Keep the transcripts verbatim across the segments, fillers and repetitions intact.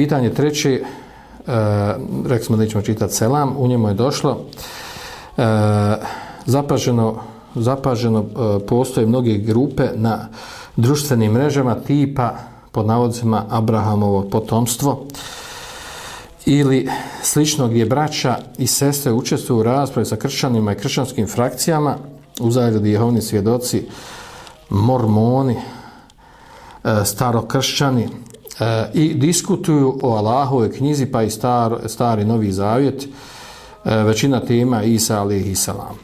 Pitanje treće, e, rekli smo da nećemo čitati selam, u njemu je došlo, e, zapaženo, zapaženo e, postoje mnoge grupe na društvenim mrežama tipa, pod navodnicima, Abrahamovo potomstvo ili slično gdje braća i sestre učestvuju u raspravi sa kršćanima i kršćanskim frakcijama, u zagradi Jehovini svjedoci, mormoni, e, starokršćani, E, i diskutuju o Allahovoj knjizi pa i star, stari Novi Zavjet, e, većina tema Isa alejhi selam.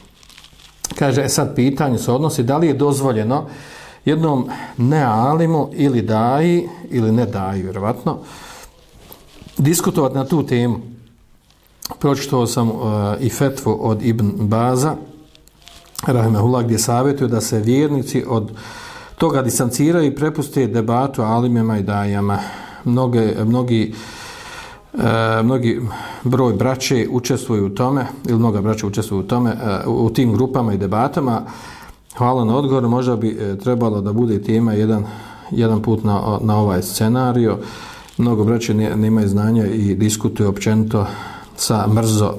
Kaže, e sad pitanje se odnosi da li je dozvoljeno jednom nealimu ili daji ili ne daji, vjerovatno, diskutovati na tu temu. Pročitao sam e, i fetvu od Ibn Baza, rahimehullah, gdje savjetuje da se vjernici od toga distanciraju i prepuste debatu alimima i dajama. Mnoge, mnogi, e, mnogi broj braće učestvuju u tome, ili mnoga braća učestvuju u tome, e, u tim grupama i debatama. Hvala na odgovor, možda bi e, trebalo da bude tema jedan, jedan put na, na ovaj scenario. Mnogo braće nemaju znanja i diskutuju općenito sa mrzo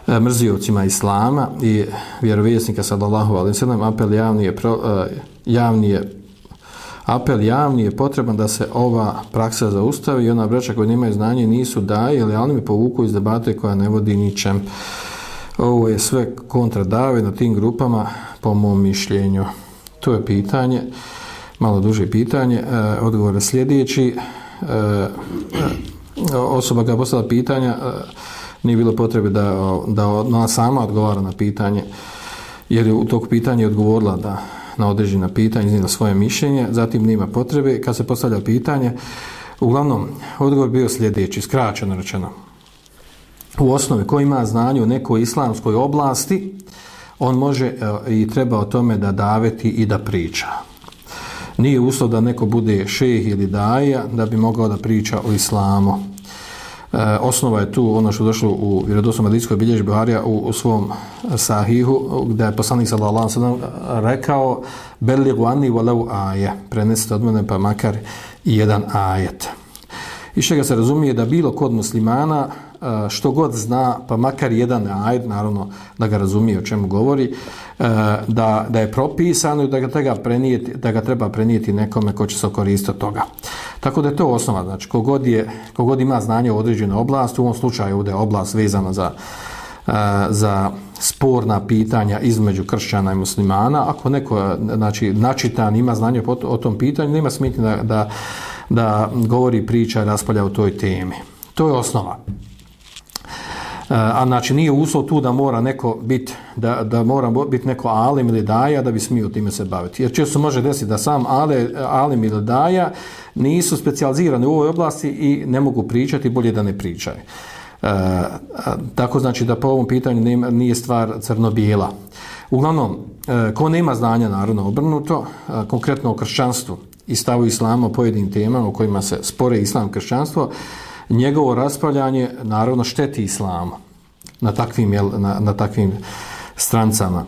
e, mrziocima islama i vjerovjesnika sallallahu alejhi ve sellem. Apel javni je pro, e, javni je apel javni je potreban da se ova praksa zaustavi i ona braća koji nemaju znanje nisu daje ili alimi povuku iz debate koja ne vodi ničem. Ovo je sve kontra dave na tim grupama po mom mišljenju. To je pitanje, malo duže pitanje. E, odgovor je sljedeći. E, osoba koja postavila pitanja e, nije bilo potrebe da, da ona sama odgovara na pitanje, jer je u tog pitanja odgovorila da na određena pitanja, iznijela svoje mišljenje, zatim nema potrebe. Kad se postavlja pitanje, uglavnom, odgovor bio sljedeći, skraćeno rečeno. U osnovi, ko ima znanje u nekoj islamskoj oblasti, on može i treba o tome da daveti i da priča. Nije uslov da neko bude šejh ili daja da bi mogao da priča o islamu. E, osnova je tu ono što je došlo u vjerodostojnoj hadijskoj bilježbi Buharija u, u svom sahihu, gdje je poslanik sallallahu alejhi ve sellem rekao beligu anni walau aje, prenesite od mene pa makar i jedan ajet. Iz čega se razumije da bilo kod muslimana što god zna, pa makar jedan ajet, naravno da ga razumije o čemu govori, da, da je propisano i da ga, treba prenijeti, da ga treba prenijeti nekome ko će se koristiti od toga. Tako da je to osnova, znači kogod, je, kogod ima znanje u određenoj oblasti, u ovom slučaju ovdje je oblast vezana za, za sporna pitanja između kršćana i muslimana. Ako neko, znači, načitan ima znanje o, o tom pitanju, nema smetnje da, da, da govori, priča i raspolja o toj temi. To je osnova. A znači nije uslov tu da mora neko biti da, da mora biti neko alim ili daja da bi smio time se baviti. Jer često može desiti da sam ale, alim ili daja nisu specijalizirani u ovoj oblasti i ne mogu pričati, bolje da ne pričaju. E, tako znači da po ovom pitanju nema, nije stvar crno-bijela. Uglavnom, e, ko nema znanja, naravno obrnuto, e, konkretno o kršćanstvu i stavu islama o pojedinim temama u kojima se spore islam kršćanstvo, njegovo raspravljanje naravno šteti islamu na takvim, jel, na, na takvim strancama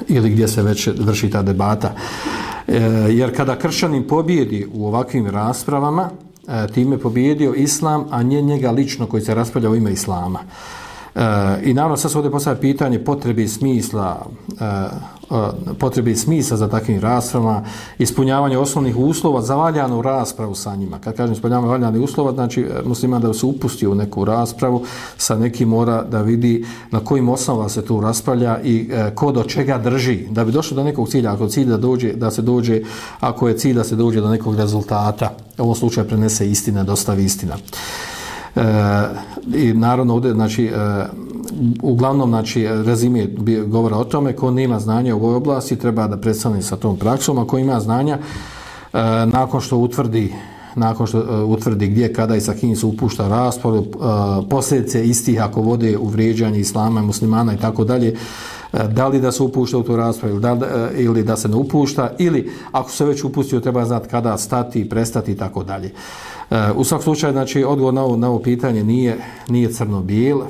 ili gdje se već vrši ta debata. E, jer kada kršćanin pobjedi u ovakvim raspravama, e, time pobjedio islam, a nije njega lično koji se raspravlja u ime islama. E, I naravno sad se ovdje postavlja pitanje potrebe i smisla, e, potrebe i smisla za takvim raspravama, ispunjavanje osnovnih uslova za valjanu raspravu sa njima. Kad kažem ispunjavanje valjanih uslova, znači musliman da se upusti u neku raspravu, sa nekim mora da vidi na kojim osnovama se tu raspravlja i e, ko do čega drži, da bi došlo do nekog cilja. Ako cilj da dođe, da se dođe, ako je cilj da se dođe do nekog rezultata, u ovom slučaju prenese istina, dostavi istina. E, i naravno ovdje, znači, e, uglavnom, znači, rezime govora o tome, ko nema znanja u ovoj oblasti treba da predstavni sa tom praksom, a ko ima znanja, e, nakon što utvrdi nakon što uh, utvrdi gdje, kada i sa kim se upušta raspravu, uh, posljedice istih ako vode u vrijeđanje islama i muslimana i tako dalje, uh, da li da se upušta u tu raspravu da, uh, ili da se ne upušta, ili ako se već upustio treba znati kada stati, prestati i tako dalje. Uh, u svakom slučaju, znači, odgovor na ovo, na ovo pitanje nije, nije crno-bijel.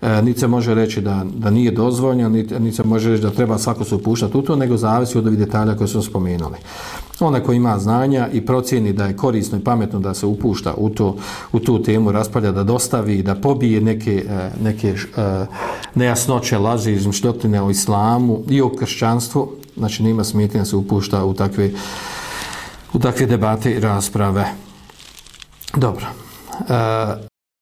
E, niti se može reći da, da nije dozvoljeno, niti, niti se može reći da treba svako se upuštati u to, nego zavisi od ovih detalja koje smo spomenuli. Onaj ko ima znanja i procjeni da je korisno i pametno da se upušta u, to, u tu temu, raspalja, da dostavi, da pobije neke, neke nejasnoće, laži, izmišljotine o islamu i o kršćanstvu, znači nima smetnje da se upušta u takve, u takve debate i rasprave. Dobro. E,